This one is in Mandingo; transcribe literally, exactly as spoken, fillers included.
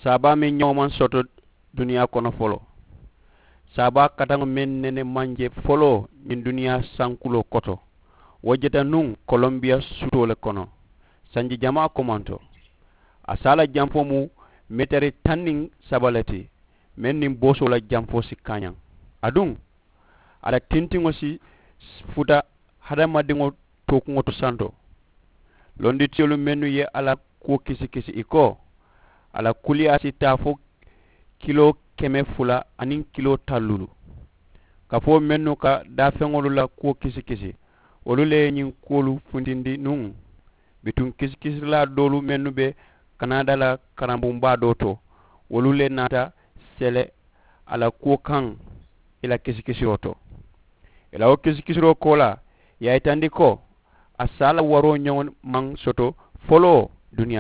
Saabaa meŋ ñaŋo maŋ soto duniyaa kono foloo. Saabaa kataŋo meŋ nene maŋ je foloo ñiŋ duniyaa sankuloo koto, wo jeta nuŋ kolombiya suutoo le kono sanji jamaa komanto. A saa la janfoo mu meetari taŋ niŋ saba le ti, meŋ niŋ boosoo la janfoo si kaañaŋ. Aduŋ a la tintiŋo si futa hadamadiŋo tookuŋo to santo. Londitiyolu mennu ye a la kuwo kisikisi i ko a la kuliyaa si taa fo kiloo keme fula aniŋ kiloo talluulu. Kafoo mennu ka daafeŋolu la kuwo kisikisi, wolu le ye ñiŋ kuwolu funtindi nuŋ. Bituŋ kisikisirilaa doolu mennu be kanada la karambuŋ baa doo to, wolu le naata sele a la kuwo kaŋ i la kisikisiroo to. I la wo kisikisiroo koolaa ye a yitandi ko a saa la waroo ñoŋo maŋ soto foloo duniyaa.